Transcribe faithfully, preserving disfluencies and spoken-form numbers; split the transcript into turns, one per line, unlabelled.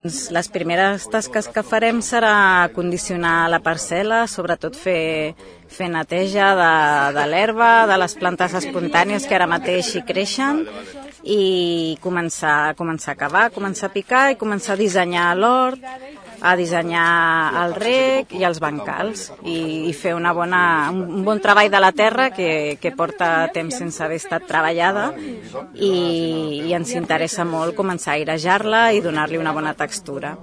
Les primeres tasques que farem serà condicionar la parcel·la, sobretot fer, fer neteja de, de l'herba, de les plantes espontànies que ara mateix hi creixen, i començar, començar a cavar, començar a picar i començar a dissenyar l'hort, a dissenyar el rec i els bancals, i, i fer una bona, un bon treball de la terra que, que porta temps sense haver estat treballada, i, i ens interessa molt començar a airejar-la i donar-li una bona textura.